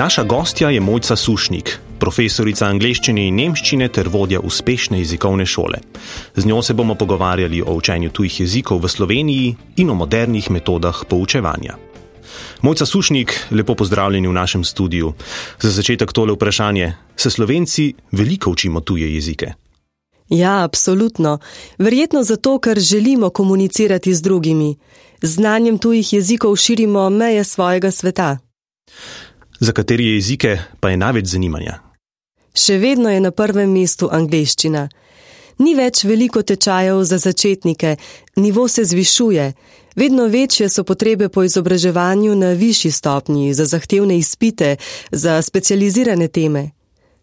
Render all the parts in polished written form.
Naša gostja je Mojca Sušnik, profesorica angleščine in nemščine ter vodja uspešne jezikovne šole. Z njo se bomo pogovarjali o učenju tujih jezikov v Sloveniji in o modernih metodah poučevanja. Mojca Sušnik, lepo pozdravljeni v našem studiu. Za začetek tole vprašanje. Se Slovenci veliko učimo tuje jezike? Ja, absolutno. Verjetno zato, ker želimo komunicirati z drugimi. Z znanjem tujih jezikov širimo meje svojega sveta. Za katere jezike pa je največ zanimanja? Še vedno je na prvem mestu angleščina. Ni več veliko tečajev za začetnike, nivo se zvišuje. Vedno večje so potrebe po izobraževanju na višji stopnji, za zahtevne izpite, za specializirane teme.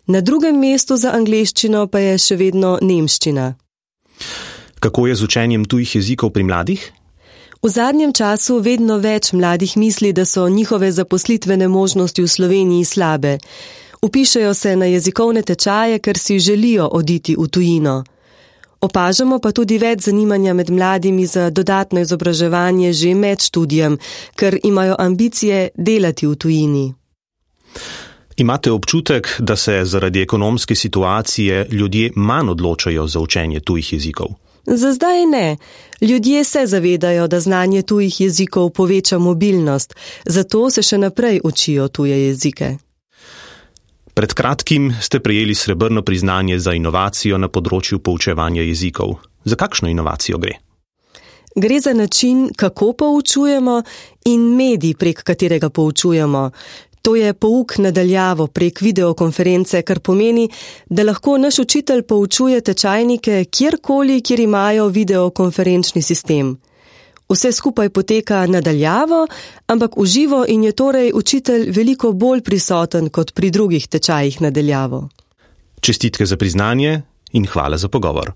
Na drugem mestu za angleščino pa je še vedno nemščina. Kako je z učenjem tujih jezikov pri mladih? V zadnjem času vedno več mladih misli, da so njihove zaposlitvene možnosti v Sloveniji slabe. Vpišejo se na jezikovne tečaje, ker si želijo oditi v tujino. Opažamo pa tudi več zanimanja med mladimi za dodatno izobraževanje že med študijem, ker imajo ambicije delati v tujini. Imate občutek, da se zaradi ekonomske situacije ljudje manj odločajo za učenje tujih jezikov? Za zdaj ne. Ljudje se zavedajo, da znanje tujih jezikov poveča mobilnost, zato se še naprej učijo tuje jezike. Pred kratkim ste prejeli srebrno priznanje za inovacijo na področju poučevanja jezikov. Za kakšno inovacijo gre? Gre za način, kako poučujemo in medij, prek katerega poučujemo. To je pouk na daljavo prek videokonference, kar pomeni, da lahko naš učitelj poučuje tečajnike kjerkoli, kjer imajo videokonferenčni sistem. Vse skupaj poteka na daljavo, ampak v živo in je torej učitelj veliko bolj prisoten kot pri drugih tečajih na daljavo. Čestitke za priznanje in hvala za pogovor.